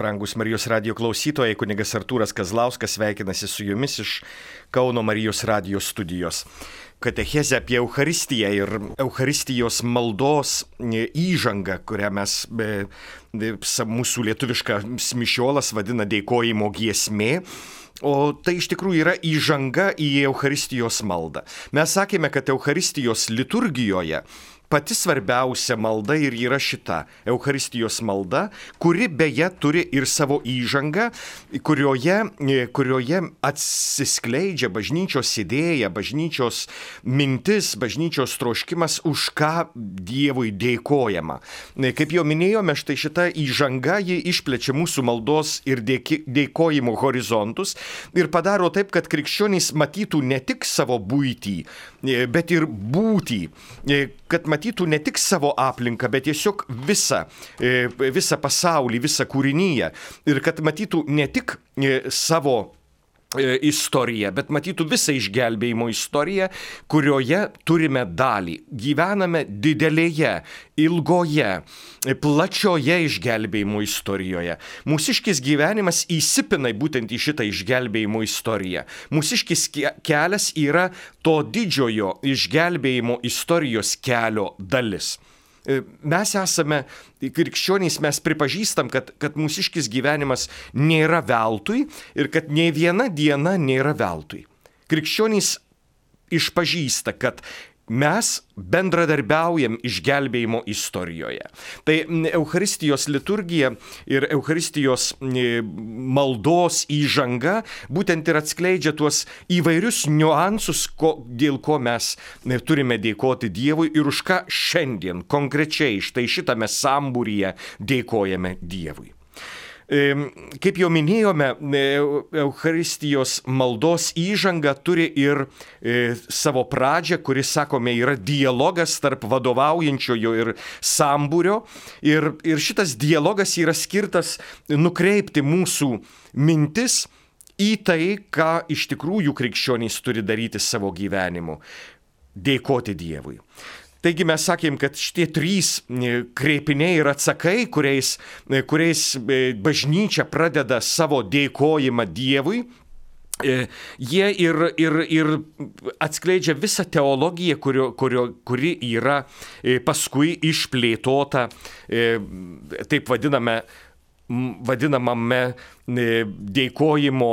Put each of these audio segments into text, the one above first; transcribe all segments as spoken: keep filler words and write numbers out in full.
Brangus Marijos radijo klausytojai, kunigas Artūras Kazlauskas sveikinasi su jumis iš Kauno Marijos radijo studijos. Katechezė apie Eucharistiją ir Eucharistijos maldos įžangą, kurią mes, be, mūsų lietuviškas mišiolas vadina dėkojimo giesmė. O tai iš tikrųjų yra įžanga į Eucharistijos maldą. Mes sakėme, kad Eucharistijos liturgijoje pati svarbiausia malda ir yra šita Eucharistijos malda, kuri beje turi ir savo įžangą, kurioje, kurioje atsiskleidžia bažnyčios idėja, bažnyčios mintis, bažnyčios troškimas, už ką Dievui dėkojama. Kaip jau minėjome, štai šita įžanga, ji išplečia mūsų maldos ir dėki, dėkojimo horizontus ir padaro taip, kad krikščionys matytų ne tik savo buitį, bet ir būtį, kad matytų ne tik savo aplinką, bet tiesiog visą, visą pasaulį, visą kūrinyje. Ir kad matytų ne tik savo istoriją, bet matytų visą išgelbėjimo istoriją, kurioje turime dalį. Gyvename didelėje, ilgoje, plačioje išgelbėjimo istorijoje. Mūsiškis gyvenimas įsipina būtent į šitą išgelbėjimo istoriją. Mūsiškis kelias yra to didžiojo išgelbėjimo istorijos kelio dalis. Mes esame krikščionys, mes pripažįstam, kad, kad mūsiškis gyvenimas nėra veltui ir kad nei viena diena nėra veltui. Krikščionys išpažįsta, kad mes bendradarbiaujam išgelbėjimo istorijoje. Tai Eucharistijos liturgija ir Eucharistijos maldos įžanga būtent ir atskleidžia tuos įvairius niuansus, ko, dėl ko mes turime dėkoti Dievui ir už ką šiandien konkrečiai štai šitame sambūryje dėkojame Dievui. Kaip jau minėjome, Eucharistijos maldos įžanga turi ir savo pradžią, kuris, sakome, yra dialogas tarp vadovaujančiojo ir sambūrio. Ir, ir šitas dialogas yra skirtas nukreipti mūsų mintis į tai, ką iš tikrųjų krikščionys turi daryti savo gyvenimu – dėkoti Dievui. Taigi mes sakėm, kad šitie trys kreipiniai ir atsakai, kuriais, kuriais bažnyčia pradeda savo dėkojimą Dievui, jie ir, ir, ir atskleidžia visą teologiją, kurio, kurio, kuri yra paskui išplėtota, taip vadiname, vadinamame dėkojimo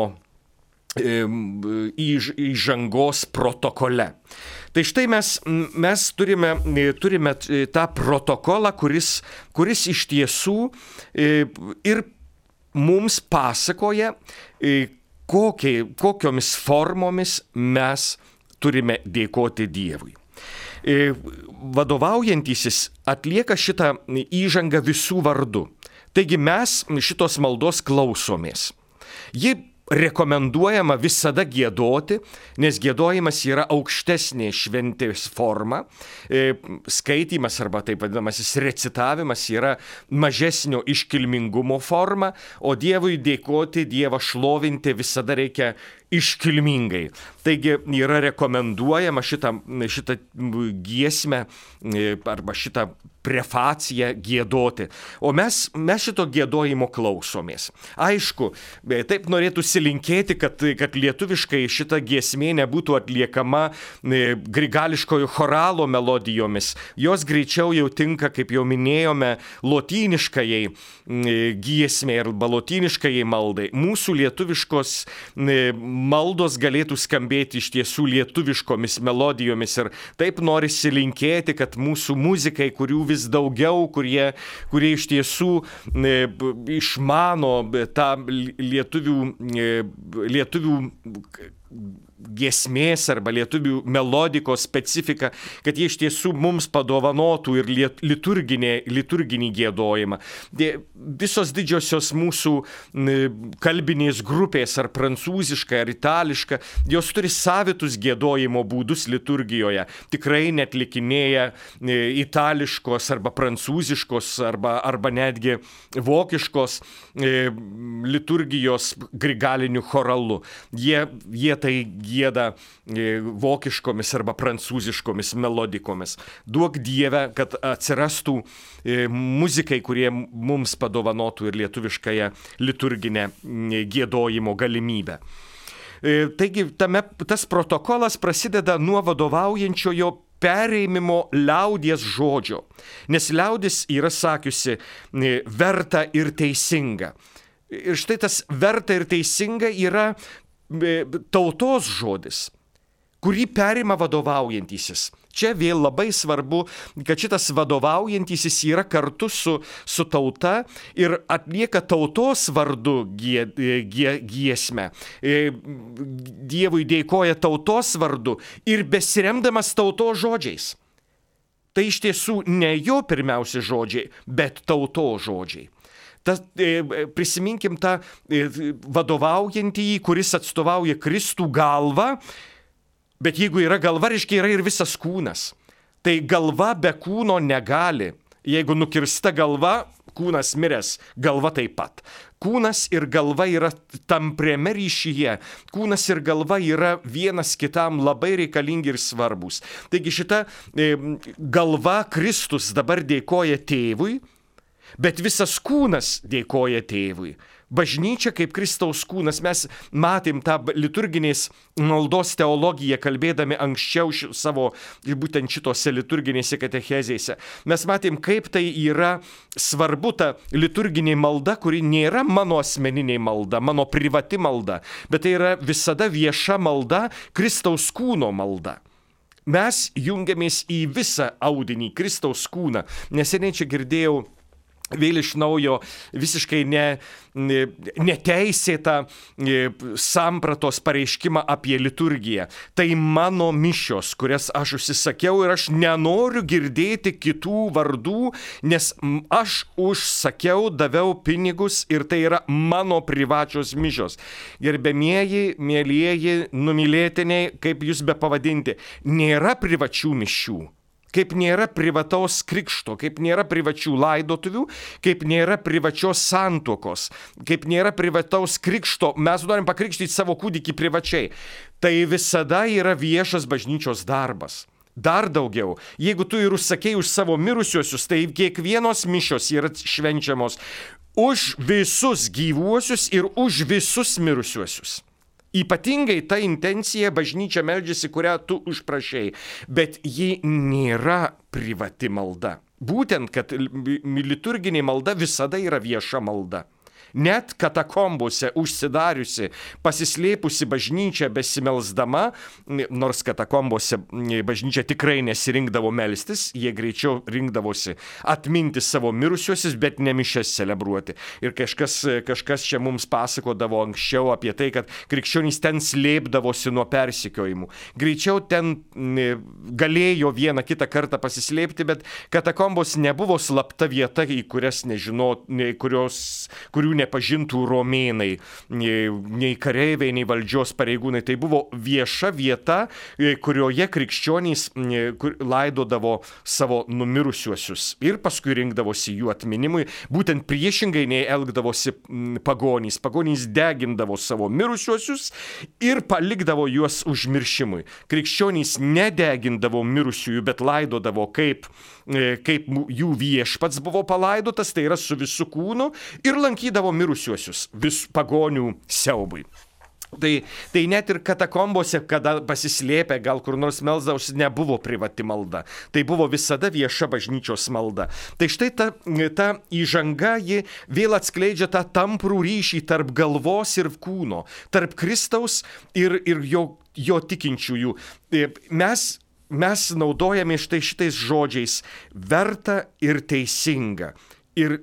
įžangos protokole. Tai štai mes, mes turime, turime tą protokolą, kuris, kuris iš tiesų ir mums pasakoja, kokie, kokiomis formomis mes turime dėkoti Dievui. Vadovaujantysis atlieka šitą įžangą visų vardu. Taigi mes šitos maldos klausomės. Ji rekomenduojama visada giedoti, nes giedojimas yra aukštesnė šventės forma. Skaitymas arba taip vadinamasis recitavimas yra mažesnio iškilmingumo forma, o Dievui dėkoti, Dievą šlovinti visada reikia iškilmingai. Taigi yra rekomenduojama šitą, šitą giesmę arba šitą prefaciją giedoti. O mes, mes šito giedojimo klausomės. Aišku, taip norėtųsi linkėti, kad, kad lietuviškai šita giesmė nebūtų atliekama grigališkojo choralo melodijomis. Jos greičiau jau tinka, kaip jau minėjome, lotyniškajai giesmė arba lotyniškajai maldai. Mūsų lietuviškos maldos galėtų skambėti iš tiesų lietuviškomis melodijomis ir taip norisi linkėti, kad mūsų muzikai, kurių vis daugiau, kurie, kurie iš tiesų e, išmano tą lietuvių, e, lietuvių giesmės arba lietuvių melodikos specifiką, kad jie iš tiesų mums padovanotų ir liturginį, liturginį giedojimą. Visos didžiosios mūsų kalbinės grupės, ar prancūziška, ar itališka, jos turi savitus giedojimo būdus liturgijoje. Tikrai netlikinėja itališkos arba prancūziškos arba, arba netgi vokiškos liturgijos grigaliniu choralu. Jie, jie tai gieda vokiškomis arba prancūziškomis melodikomis. Duok Dieve, kad atsirastų muzikai, kurie mums padovanotų ir lietuviškąją liturginę giedojimo galimybę. Taigi tame, tas protokolas prasideda nuo vadovaujančiojo pereimimo liaudies žodžio, nes liaudis yra sakiusi verta ir teisinga. Ir štai tas verta ir teisinga yra tautos žodis, kurį perima vadovaujantysis. Čia vėl labai svarbu, kad šitas vadovaujantysis yra kartu su, su tauta ir atlieka tautos vardu gie, gie, giesmę. Dievui dėkoja tautos vardu ir besiremdamas tautos žodžiais. Tai iš tiesų ne jo pirmiausi žodžiai, bet tautos žodžiai. Ta, prisiminkim tą vadovaujantįjį, kuris atstovauja Kristų galvą. Bet jeigu yra galva, reiškia yra ir visas kūnas. Tai galva be kūno negali. Jeigu nukirsta galva, kūnas miręs, galva taip pat. Kūnas ir galva yra tampriame ryšyje. Kūnas ir galva yra vienas kitam labai reikalingi ir svarbus. Taigi šita e, galva Kristus dabar dėkoja tėvui, bet visas kūnas dėkoja tėvui. Bažnyčia kaip Kristaus kūnas, mes matėm tą liturginės maldos teologiją, kalbėdami anksčiau ši, savo būtent šitose liturginėse katechezėse. Mes matėm, kaip tai yra svarbu ta liturginė malda, kuri nėra mano asmeninė malda, mano privati malda, bet tai yra visada vieša malda, Kristaus kūno malda. Mes jungiamės į visą audinį, Kristaus kūną. Neseniai čia girdėjau vėl iš naujo visiškai ne, ne, neteisėtą sampratos pareiškimą apie liturgiją. Tai mano mišios, kurias aš užsisakiau ir aš nenoriu girdėti kitų vardų, nes aš užsakiau, daviau pinigus ir tai yra mano privačios mišios. Gerbėmieji, mielieji, numylėtiniai, kaip jūs be pavadinti, nėra privačių mišių. Kaip nėra privataus krikšto, kaip nėra privačių laidotuvių, kaip nėra privačios santuokos, kaip nėra privataus krikšto, mes norim pakrikštyti savo kūdikį privačiai. Tai visada yra viešas bažnyčios darbas. Dar daugiau, jeigu tu ir užsakei už savo mirusiuosius, tai kiekvienos mišios yra švenčiamos už visus gyvuosius ir už visus mirusiuosius. Ypatingai ta intencija bažnyčia meldžiasi, kurią tu užprašei, bet ji nėra privati malda. Būtent, kad liturginė malda visada yra vieša malda. Net katakombose užsidariusi, pasislėpusi bažnyčia besimelsdama, nors katakombose bažnyčia tikrai nesirinkdavo melstis, jie greičiau rinkdavosi atminti savo mirusiuosius, bet ne mišias celebruoti. Ir kažkas, kažkas čia mums pasakodavo anksčiau apie tai, kad krikščionys ten slėpdavosi nuo persekiojimų. Greičiau ten galėjo vieną kitą kartą pasislėpti, bet katakombos nebuvo slapta vieta, į kurias nežino, kurios, kurių nepažintų romėnai, nei kareiviai, nei valdžios pareigūnai. Tai buvo vieša vieta, kurioje krikščionys laidodavo savo numirusiuosius ir paskui rinkdavosi jų atminimui. Būtent priešingai nei elgdavosi pagonys. Pagonys degindavo savo mirusiuosius ir palikdavo juos užmiršimui. Krikščionys nedegindavo mirusiųjų, bet laidodavo kaip, kaip jų viešpats buvo palaidotas, tai yra su visu kūnu, ir lankydavo mirusiuosius vis pagonių siaubui. Tai, tai net ir katakombose, kada pasislėpę, gal kur nors melsdavosi, nebuvo privati malda. Tai buvo visada vieša bažnyčios malda. Tai štai ta, ta įžanga, ji vėl atskleidžia tą tamprų ryšį tarp galvos ir kūno, tarp Kristaus ir, ir jo, jo tikinčiųjų. Mes Mes naudojame štai šitais žodžiais verta ir teisinga. Ir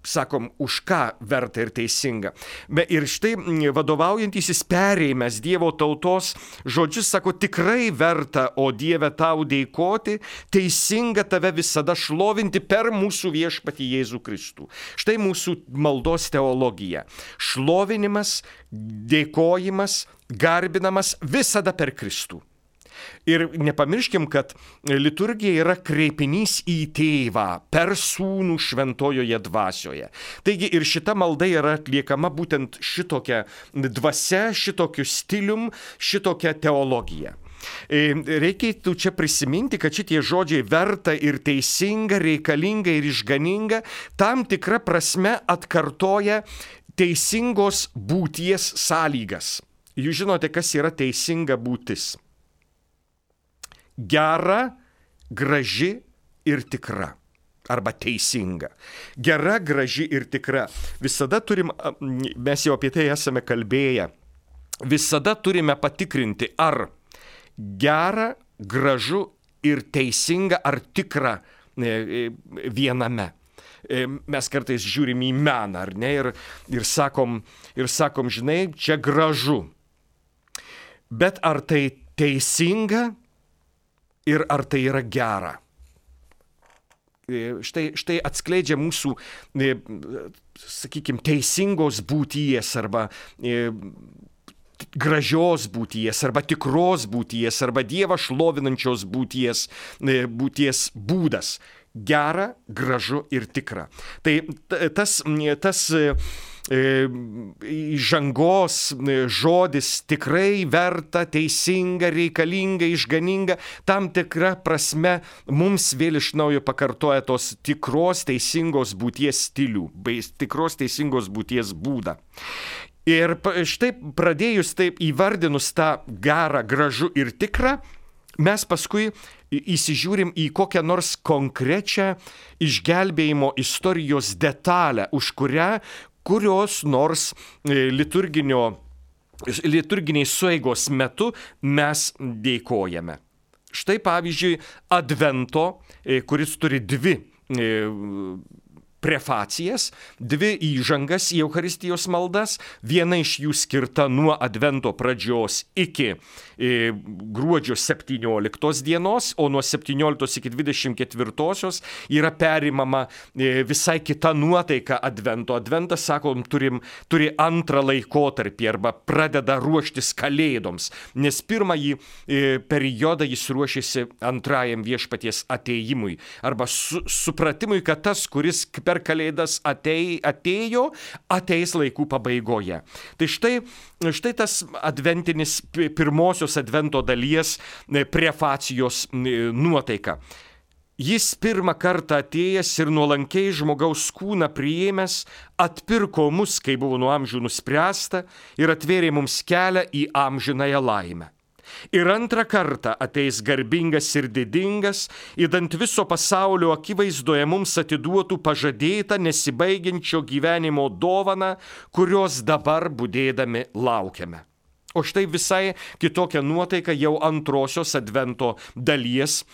sakom, už ką verta ir teisinga. Be, ir štai vadovaujantysis perėjęs Dievo tautos žodžius sako, tikrai verta, o Dieve, tau dėkoti, teisinga tave visada šlovinti per mūsų viešpatį Jėzų Kristų. Štai mūsų maldos teologija. Šlovinimas, dėkojimas, garbinamas visada per Kristų. Ir nepamirškim, kad liturgija yra kreipinys į tėvą per sūnų šventojoje dvasioje. Taigi ir šita malda yra atliekama būtent šitokia dvasia, šitokiu stilium, šitokia teologija. Reikėtų čia prisiminti, kad šitie žodžiai verta ir teisinga, reikalinga ir išganinga tam tikra prasme atkartoja teisingos būties sąlygas. Jūs žinote, kas yra teisinga būtis. Gera, graži ir tikra. Arba teisinga. Gera, graži ir tikra. Visada turim, mes jau apie tai esame kalbėję, visada turime patikrinti, ar gera, gražu ir teisinga ar tikra viename. Mes kartais žiūrim į meną, ar ne, ir, ir, sakom, ir sakom, žinai, čia gražu. Bet ar tai teisinga ir ar tai yra gera? Štai, štai atskleidžia mūsų, sakykime, teisingos būties arba gražios būties, arba tikros būties, arba Dievą šlovinančios būties, būties būdas. Gera, gražu ir tikra. Tai tas, tas įžangos žodis tikrai verta, teisinga, reikalinga, išganinga, tam tikra prasme mums vėl iš naujo pakartoja tos tikros teisingos būties stilių, bei tikros teisingos būties būdą. Ir štai pradėjus taip įvardinus tą gerą, gražu ir tikrą, mes paskui įsižiūrim į kokią nors konkrečią išgelbėjimo istorijos detalę, už kurią kurios nors liturginio, liturginiai sueigos metu mes dėkojame. Štai pavyzdžiui, Advento, kuris turi dvi prefacijas, dvi įžangas į Eucharistijos maldas, viena iš jų skirta nuo Advento pradžios iki e, gruodžio septynioliktos dienos, o nuo septynioliktos iki dvidešimt ketvirtosios yra perimama e, visai kita nuotaika Advento. Adventas, sakom, turim, turi antrą laikotarpį arba pradeda ruoštis Kalėdoms, nes pirmąjį e, periodą jis ruošiasi antrajam viešpaties atėjimui arba su, supratimui, kad tas, kuris per Kalėdas atei, atėjo, ateis laikų pabaigoje. Tai štai, štai tas adventinis pirmosios advento dalies prefacijos nuotaika. Jis pirmą kartą atėjęs ir nuolankiai žmogaus kūną priėmęs, atpirko mus, kai buvo nuo amžių nuspręsta, ir atvėrė mums kelią į amžinąją laimę. Ir antrą kartą ateis garbingas ir didingas, idant viso pasaulio akivaizdoje mums atiduotų pažadėtą nesibaigiančio gyvenimo dovaną, kurios dabar budėdami laukiame. O štai visai kitokia nuotaika jau antrosios advento dalies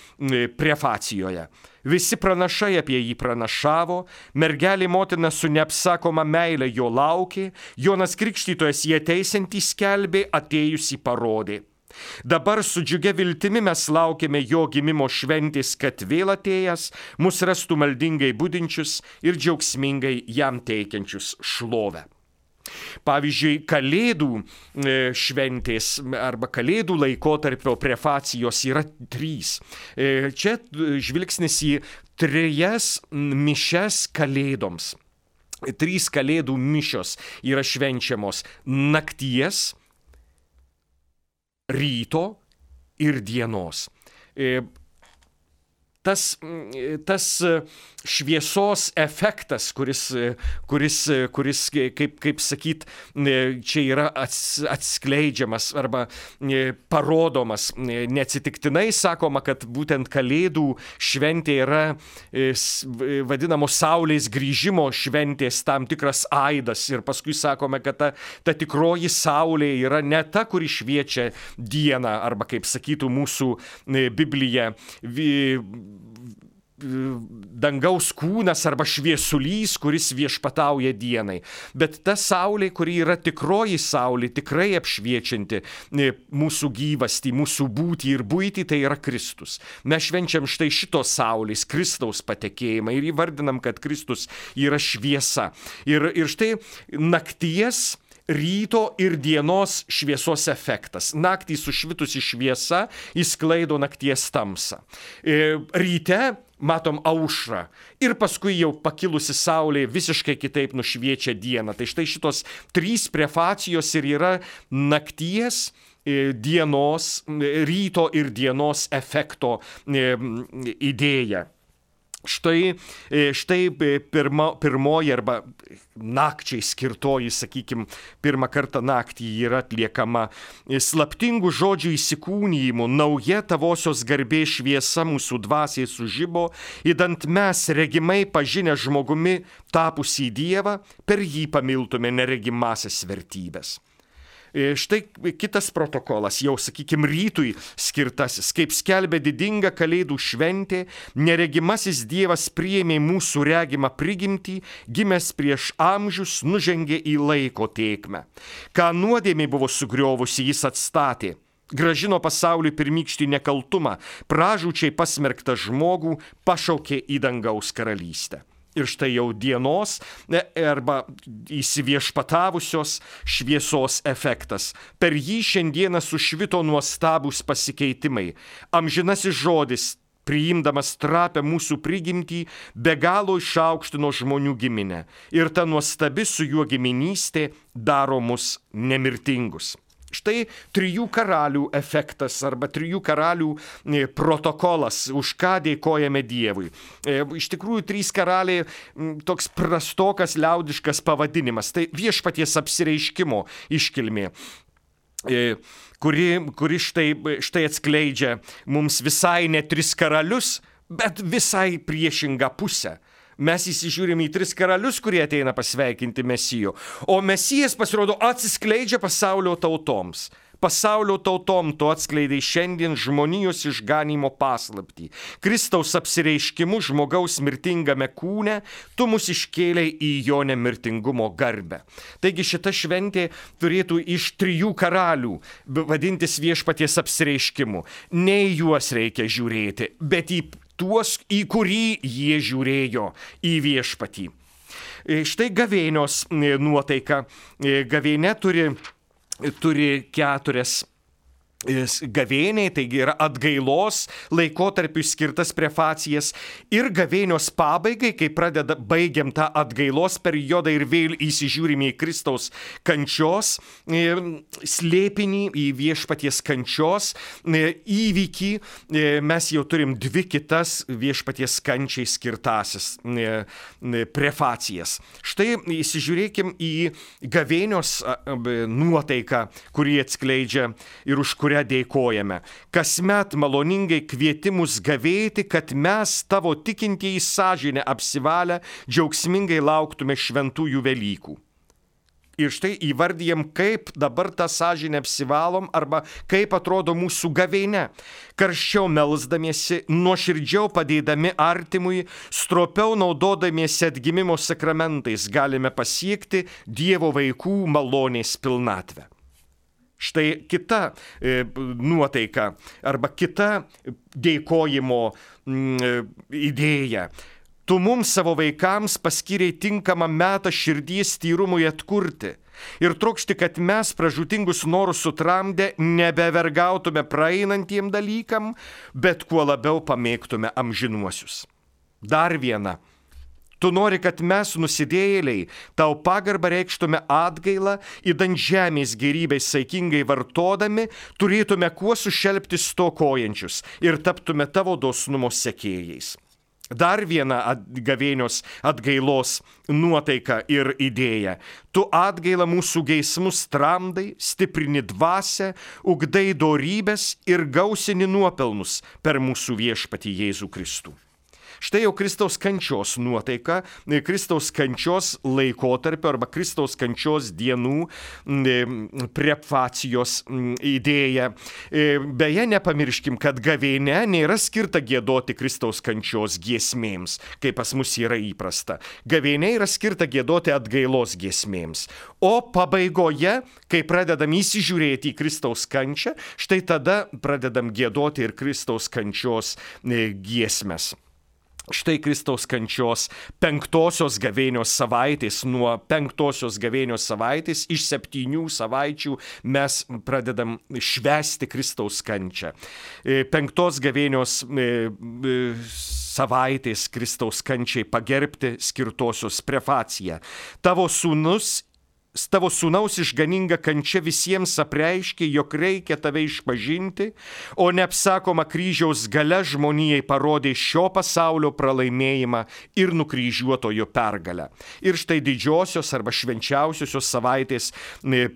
prefacijoje. Visi pranašai apie jį pranašavo, mergelė motina su neapsakoma meile jo laukė, Jonas Krikštytojas jį ateisiantį skelbė, atėjusį parodė. Dabar su džiugia viltimi mes laukiame jo gimimo šventės, kad vėl atėjęs mus rastų maldingai budinčius ir džiaugsmingai jam teikiančius šlovę. Pavyzdžiui, Kalėdų šventės arba Kalėdų laikotarpio prefacijos yra trys. Čia žvilgsnis į trejas mišias Kalėdoms. Trys Kalėdų mišios yra švenčiamos nakties, ryto ir dienos. Tas, tas šviesos efektas, kuris, kuris, kuris kaip, kaip sakyt, čia yra atskleidžiamas arba parodomas. Neatsitiktinai sakoma, kad būtent Kalėdų šventė yra vadinamos Saulės grįžimo šventės tam tikras aidas. Ir paskui sakome, kad ta, ta tikroji Saulė yra ne ta, kuri šviečia dieną, arba kaip sakytų mūsų Biblija, dangaus kūnas arba šviesulys, kuris viešpatauja dienai. Bet ta saulė, kuri yra tikroji saulė, tikrai apšviečianti mūsų gyvastį, mūsų būtį ir buitį, tai yra Kristus. Mes švenčiam štai šitos saulės, Kristaus patekėjimą ir įvardinam, kad Kristus yra šviesa. Ir, ir štai nakties, ryto ir dienos šviesos efektas. Naktį sušvitusi šviesa įsklaido nakties tamsą. Ryte matom aušrą ir paskui jau pakilusi saulė visiškai kitaip nušviečia dieną. Tai štai šitos trys prefacijos ir yra nakties, dienos, ryto ir dienos efekto idėja. Štai, štai pirma, pirmoji arba nakčiai skirtoji, sakykime, pirmą kartą naktį yra atliekama slaptingų žodžių įsikūnijimu, nauja tavosios garbės šviesa mūsų dvasiai sužibo, idant mes regimai pažinę žmogumi tapusį Dievą, per jį pamiltume neregimasias vertybės. Štai kitas protokolas, jau, sakykime, rytui skirtasis, kaip skelbė didinga Kalėdų šventė, neregimasis Dievas priėmė mūsų regimą prigimtį, gimęs prieš amžius, nužengė į laiko tėkmę. Ką nuodėmė buvo sugriovusi, jis atstatė. Gražino pasauliui pirmykštį nekaltumą, pražūčiai pasmerktą žmogų pašaukė į dangaus karalystę. Ir štai jau dienos arba įsiviešpatavusios šviesos efektas. Per jį šiandieną sušvito nuostabūs pasikeitimai. Amžinasis žodis, priimdamas trapę mūsų prigimtį, be galo išaukštino žmonių giminę. Ir ta nuostabi su juo giminystė daro mus nemirtingus. Štai trijų karalių efektas arba trijų karalių protokolas, už ką dėkojame Dievui. Iš tikrųjų, trys karaliai toks prastokas liaudiškas pavadinimas. Tai viešpaties apsireiškimo iškilmė, kuri, kuri štai, štai atskleidžia mums visai ne tris karalius, bet visai priešingą pusę. Mes įsižiūrime į tris karalius, kurie ateina pasveikinti Mesijo, o Mesijas, pasirodo, atsiskleidžia pasaulio tautoms. Pasaulio tautom to atskleidai šiandien žmonijos išganimo paslaptį. Kristaus apsireiškimu žmogaus mirtingame kūne, tu mus iškėlei į jo nemirtingumo garbę. Taigi šita šventė turėtų iš trijų karalių vadintis viešpaties apsireiškimu. Ne į juos reikia žiūrėti, bet į tuos, į kurį jie žiūrėjo, į viešpatį. Štai gavėnios nuotaika. Gavėnia turi, turi keturias gavėniai, taigi yra atgailos laikotarpiu skirtas prefacijas ir gavėnios pabaigai, kai pradeda, baigiam tą atgailos periodą ir vėl įsižiūrime į Kristaus kančios slėpinį, į viešpaties kančios įvykį, mes jau turim dvi kitas viešpaties kančiai skirtasis prefacijas. Štai įsižiūrėkim į gavėnios nuotaiką, kurį atskleidžia ir už kurią dėkojame. Kasmet maloningai kvietimus gavėti, kad mes tavo tikintieji sąžinę apsivalę džiaugsmingai lauktume šventųjų Velykų. Ir štai įvardyjam, kaip dabar tą sąžinę apsivalom arba kaip atrodo mūsų gavėnia. Karščiau melsdamiesi, nuoširdžiau padėdami artimui, stropiau naudodamiesi atgimimo sakramentais galime pasiekti Dievo vaikų malonės pilnatvę. Štai kita e, nuotaika arba kita dėkojimo m, idėja. Tu mums savo vaikams paskyrei tinkamą metą širdies tyrumui atkurti ir trokšti, kad mes pražūtingus norus sutramdę nebevergautume praeinantiem dalykam, bet kuo labiau pamėgtume amžinuosius. Dar viena. Tu nori, kad mes nusidėjėliai tau pagarbą reikštume atgailą, idant žemės gerybės saikingai vartodami, turėtume kuo sušelpti stokojančius ir taptume tavo dosnumo sekėjais. Dar viena gavėnios atgailos nuotaika ir idėja. Tu atgailą mūsų geismus tramdai, stiprini dvasią, ugdai dorybės ir gausini nuopelnus per mūsų viešpatį Jėzų Kristų. Štai jau Kristaus kančios nuotaika, Kristaus kančios laikotarpio arba Kristaus kančios dienų prefacijos idėja. Beje, nepamirškim, kad gavėnia nėra skirta giedoti Kristaus kančios giesmėms, kaip pas mus yra įprasta. Gavėnia yra skirta giedoti atgailos giesmėms. O pabaigoje, kai pradedam įsižiūrėti į Kristaus kančią, štai tada pradedam giedoti ir Kristaus kančios giesmes. Štai Kristaus kančios penktosios gavėnios savaitės, nuo penktosios gavėnios savaitės iš septynių savaičių mes pradedam švęsti Kristaus kančią. Penktos gavėnios savaitės Kristaus kančiai pagerbti skirtosios prefacija. Tavo sūnus Tavo sūnaus išganinga kančia visiems apreiškė, jog reikia tave išpažinti, o neapsakoma kryžiaus galia žmonijai parodė šio pasaulio pralaimėjimą ir nukryžiuotojo pergalę. Ir štai didžiosios arba švenčiausiosios savaitės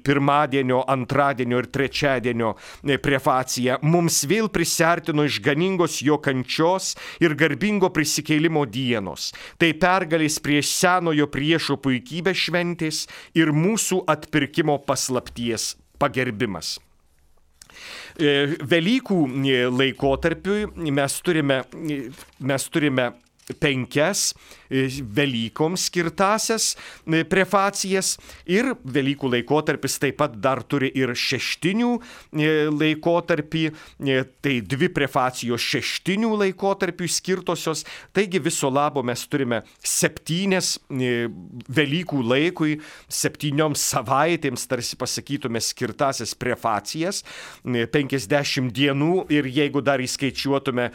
pirmadienio, antradienio ir trečiadienio prefacija mums vėl prisiartino išganingos jo kančios ir garbingo prisikėlimo dienos. Tai pergalės prieš senojo priešo puikybę šventės ir mūsų mūsų atpirkimo paslapties pagerbimas. Velykų laikotarpiui mes turime, mes turime penkias Velykoms skirtasias prefacijas ir Velykų laikotarpis taip pat dar turi ir šeštinių laikotarpį, tai dvi prefacijos šeštinių laikotarpių skirtosios, taigi viso labo mes turime septynias Velykų laikui, septynioms savaitėms, tarsi pasakytume, skirtasias prefacijas, penkiasdešimt dienų ir jeigu dar įskaičiuotume,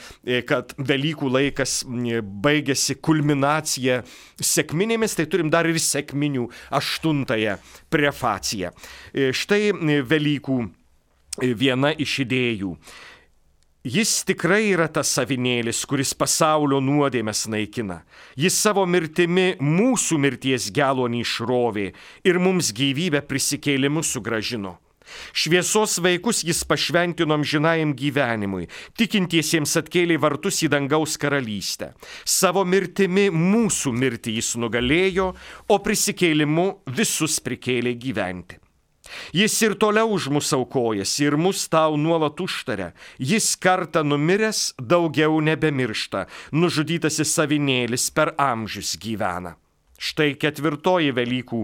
kad Velykų laikas baigėsi kulminacija sekminėmis, tai turim dar ir sekminių aštuntąją prefaciją. Štai Velykų viena iš idėjų. Jis tikrai yra tas avinėlis, kuris pasaulio nuodėmes naikina. Jis savo mirtimi mūsų mirties gelonį išrovė ir mums gyvybę prisikėlimu sugrąžino. Šviesos vaikus jis pašventino amžinajam gyvenimui, tikintiesiems atkėlė vartus į dangaus karalystę. Savo mirtimi mūsų mirtį jis nugalėjo, o prisikėlimu visus prikėlė gyventi. Jis ir toliau už mus aukojasi ir mus tau nuolat užtaria. Jis kartą numiręs daugiau nebemiršta, nužudytasis avinėlis per amžius gyvena. Štai ketvirtoji Velykų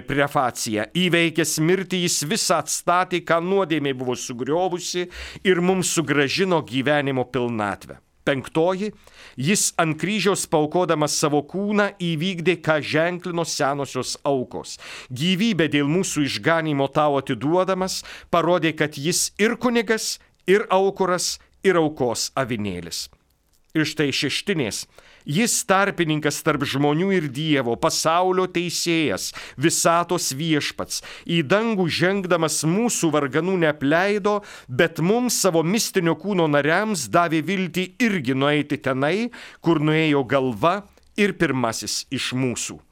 prefacija. Įveikęs mirtį jis visą atstatė, ką nuodėmė buvo sugriovusi ir mums sugrąžino gyvenimo pilnatvę. Penktoji, jis ant kryžiaus paukodamas savo kūną įvykdė, ką ženklino senosios aukos. Gyvybę dėl mūsų išganymo tau atiduodamas, parodė, kad jis ir kunigas, ir aukuras, ir aukos avinėlis. Ir štai šeštinės. Jis tarpininkas tarp žmonių ir Dievo, pasaulio teisėjas, visatos viešpats. Į dangų žengdamas mūsų varganų neapleido, bet mums savo mistinio kūno nariams davė viltį irgi nueiti tenai, kur nuėjo galva ir pirmasis iš mūsų.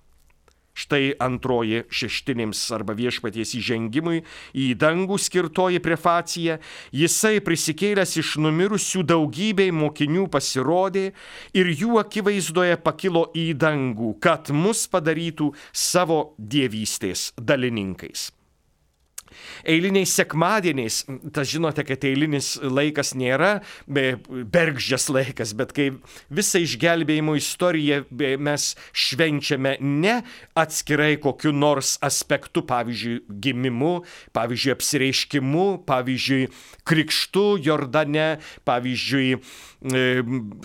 Štai antroji šeštinėms arba viešpaties įžengimui į dangų skirtoji prefacija. Jisai prisikėlęs iš numirusių daugybei mokinių pasirodė ir jų akivaizdoje pakilo į dangų, kad mus padarytų savo dievystės dalininkais. Eiliniais sekmadieniais, tas žinote, kad eilinis laikas nėra bergždžias laikas, bet kai visą išgelbėjimo istoriją mes švenčiame ne atskirai kokiu nors aspektu, pavyzdžiui, gimimu, pavyzdžiui, apsireiškimu, pavyzdžiui, krikštu Jordane, pavyzdžiui,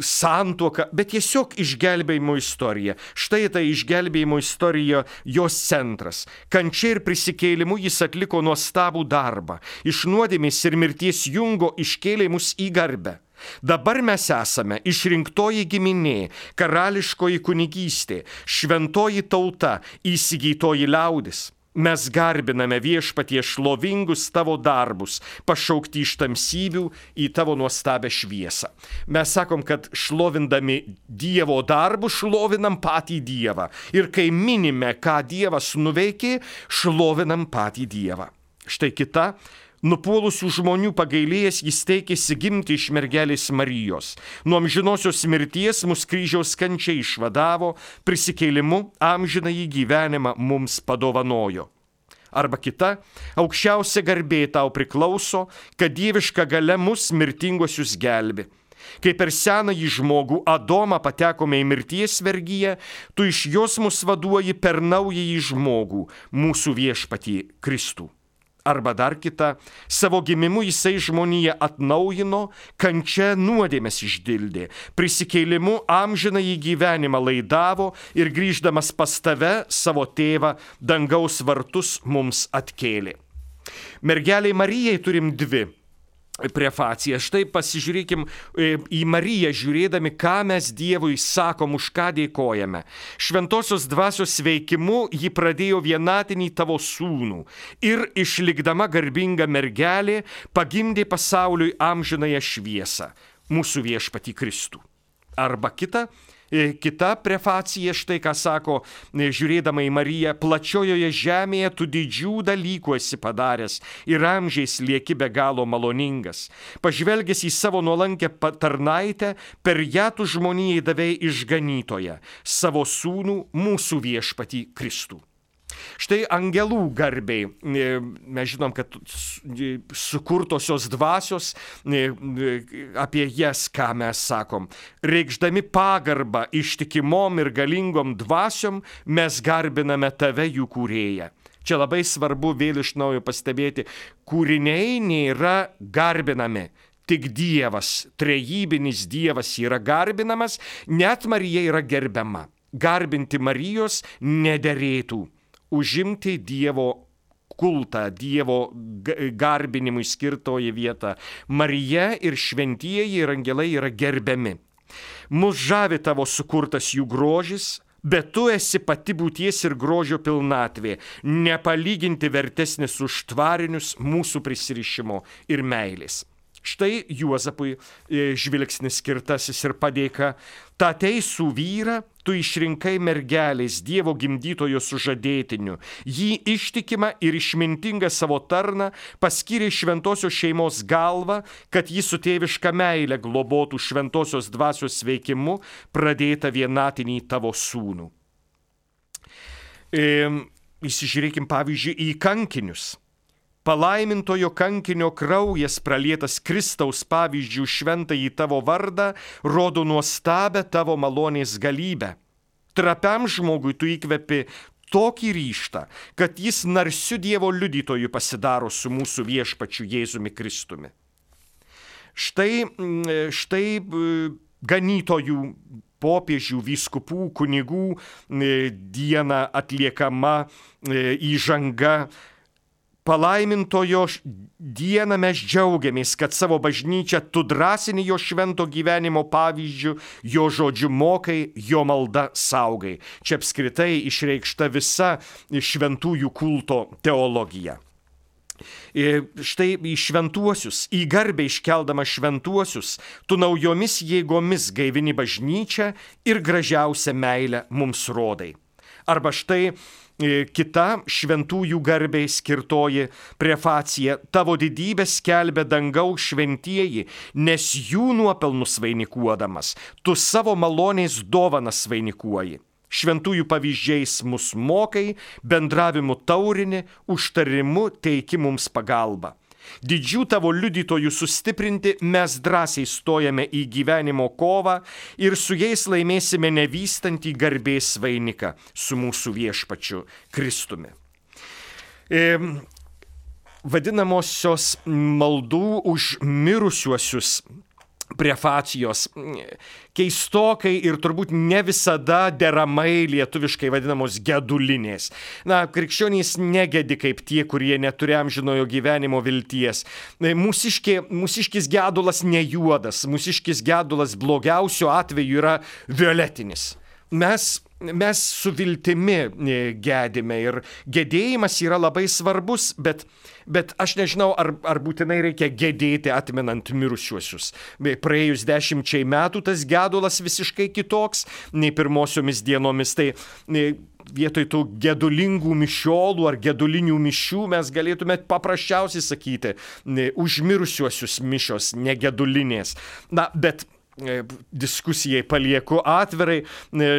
santuoka, bet tiesiog išgelbėjimo istorija. Štai tai išgelbėjimo istorija, jos centras. Kančia ir prisikėlimu jis atliko nuostabų darbą. Iš nuodėmės ir mirties jungo iškėlė mus į garbę. Dabar mes esame išrinktoji giminė, karališkoji kunigystė, šventoji tauta, įsigytoji liaudis. Mes garbiname Viešpatie šlovingus tavo darbus, pašaukti iš tamsybių į tavo nuostabią šviesą. Mes sakom, kad šlovindami Dievo darbus, šlovinam patį Dievą. Ir kai minime, ką Dievas nuveikė, šlovinam patį Dievą. Štai kita. Nupuolusių žmonių pagailėjęs jis teikėsi gimti iš mergelės Marijos. Nuo amžinosios mirties mus kryžiaus kančia išvadavo, prisikėlimu amžinąjį gyvenimą mums padovanojo. Arba kita, aukščiausia garbė tau priklauso, kad dieviška galia mus mirtinguosius gelbi. Kai per senąjį žmogų Adomą patekome į mirties vergiją, tu iš jos mus vaduoji per naująjį žmogų, mūsų viešpatį Kristų. Arba dar kita, savo gimimu jisai žmoniją atnaujino, kančia nuodėmes išdildė, prisikėlimu amžiną į gyvenimą laidavo ir grįždamas pas tave, savo tėvą, dangaus vartus mums atkėlė. Mergeliai Marijai turim dvi prefaciją. Štai pasižiūrėkim į Mariją, žiūrėdami, ką mes Dievui sakom, už ką dėkojame. Šventosios dvasios veikimu ji pradėjo vienatinį tavo sūnų ir išlikdama garbinga mergelė pagimdė pasauliui amžinąją šviesą, mūsų viešpatį Kristų. Arba kita, kita prefacija, štai ką sako, žiūrėdama į Mariją, plačiojoje žemėje tu didžių dalykų esi padaręs ir amžiais lieki be galo maloningas. Pažvelgęs į savo nuolankę tarnaitę, per ją tu žmonijai davei išganytoją, savo sūnų, mūsų viešpatį Kristų. Štai angelų garbei, mes žinom, kad sukurtosios dvasios, apie jas, ką mes sakom, reikšdami pagarbą ištikimom ir galingom dvasiom, mes garbiname tave, jų kūrėją. Čia labai svarbu vėl iš naujo pastebėti, kūriniai nėra garbinami. Tik Dievas, trejybinis Dievas yra garbinamas, net Marija yra gerbiama. Garbinti Marijos nederėtų. Užimti Dievo kultą, Dievo garbinimui skirtoji vieta. Marija ir šventieji ir angelai yra gerbiami. Mus žavi tavo sukurtas jų grožis, bet tu esi pati būties ir grožio pilnatvė, nepalyginti vertesnis už tvarinius mūsų prisirišimo ir meilės. Štai Juozapui žvilgsnis skirtasis ir padėka. Ta teisų vyrą tu išrinkai mergelės, Dievo gimdytojo sužadėtiniu. Jį ištikimą ir išmintingą savo tarną paskyrė šventosios šeimos galvą, kad jį su tėviška meile globotų šventosios dvasios veikimu pradėtą vienatinį tavo sūnų. E, įsižiūrėkim pavyzdžiui į kankinius. Palaimintojo kankinio kraujas pralietas Kristaus pavyzdžių šventąjį tavo vardą rodo nuostabę tavo malonės galybę. Trapiam žmogui tu įkvepi tokį ryžtą, kad jis narsiu Dievo liudytoju pasidaro su mūsų viešpačiu Jėzumi Kristumi. Štai, štai ganytojų, popiežių, vyskupų, kunigų dieną atliekama įžanga. Palaimintojo dieną mes džiaugiamės, kad savo bažnyčią tu drąsini jo švento gyvenimo pavyzdžių, jo žodžiu mokai, jo malda saugai. Čia apskritai išreikšta visa šventųjų kulto teologija. Štai į šventuosius, į garbę iškeldama šventuosius, tu naujomis jėgomis gaivini bažnyčią ir gražiausią meilę mums rodai. Arba štai kita šventųjų garbei skirtoji prefacija. Tavo didybę skelbia dangaus šventieji, nes jų nuopelnus vainikuodamas, tu savo malonės dovanas vainikuoji. Šventųjų pavyzdžiais mus mokai, bendravimu taurini, užtarimu teiki mums pagalbą. Didžių tavo liudytojų sustiprinti mes drąsiai stojame į gyvenimo kovą ir su jais laimėsime nevystantį garbės vainiką su mūsų viešpačiu Kristumi. E, vadinamosios maldų už mirusiuosius prefacijos keistokai ir turbūt ne visada deramai lietuviškai vadinamos gedulinės. Na, krikščionys negedi kaip tie, kurie neturi amžinojo gyvenimo vilties. Mūsiškė, mūsiškis gedulas ne juodas, mūsiškis gedulas blogiausiu atveju yra violetinis. Mes Mes su viltimi gedime ir gedėjimas yra labai svarbus, bet, bet aš nežinau, ar, ar būtinai reikia gedėti atmenant mirusiuosius. Praėjus dešimčiai metų tas gedulas visiškai kitoks nei pirmosiomis dienomis. Tai vietoj tų gedulingų mišiolų ar gedulinių mišių mes galėtume paprasčiausiai sakyti už mirusiuosius mišios, negedulinės. Na, bet diskusijai palieku atvirai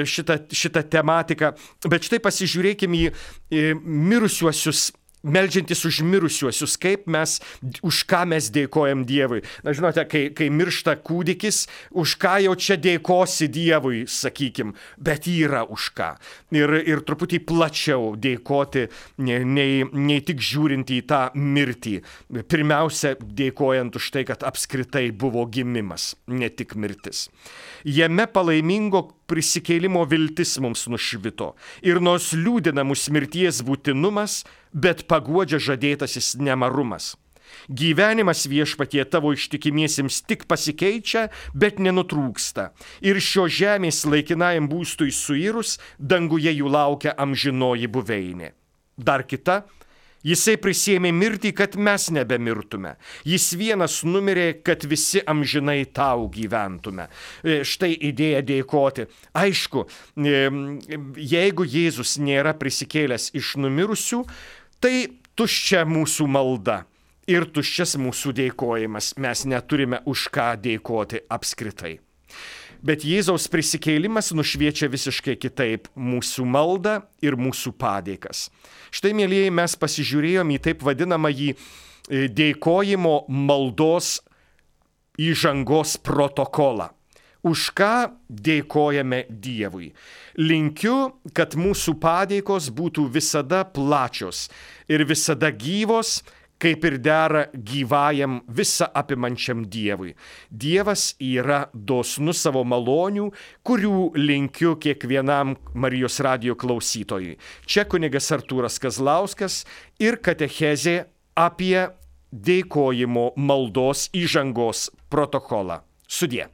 šitą, šitą tematiką, bet štai pasižiūrėkime į, į mirusiuosius meldžiantis už mirusiuosius, kaip mes, už ką mes dėkojam Dievui. Na, žinote, kai, kai miršta kūdikis, už ką jau čia dėkosi Dievui, sakykim, bet yra už ką. Ir, ir truputį plačiau dėkoti, nei, nei tik žiūrint į tą mirtį. Pirmiausia, dėkojant už tai, kad apskritai buvo gimimas, ne tik mirtis. Jame palaimingo prisikėlimo viltis mums nušvito. Ir nors liūdina mus mirties būtinumas, bet paguodžia žadėtasis nemarumas. Gyvenimas viešpatie tavo ištikimiesiems tik pasikeičia, bet nenutrūksta. Ir šio žemės laikinajam būstui suirus, danguje jų laukia amžinoji buveinė. Dar kita. Jisai prisėmė mirtį, kad mes nebemirtume. Jis vienas numirė, kad visi amžinai tau gyventume. Štai idėja dėkoti. Aišku, jeigu Jėzus nėra prisikėlęs iš numirusių, tai tuščia mūsų malda ir tuščias mūsų dėkojimas. Mes neturime už ką dėkoti apskritai. Bet Jėzaus prisikėlimas nušviečia visiškai kitaip mūsų maldą ir mūsų padėkas. Štai, mielieji, mes pasižiūrėjom į taip vadinamąjį dėkojimo maldos įžangos protokolą. Už ką dėkojame Dievui. Linkiu, kad mūsų padėkos būtų visada plačios ir visada gyvos, kaip ir dera gyvajam visa apimančiam Dievui. Dievas yra dosnus savo malonių, kurių linkiu kiekvienam Marijos radijo klausytojui. Čia kunigas Artūras Kazlauskas ir katechezė apie dėkojimo maldos įžangos protokolą. Sudie.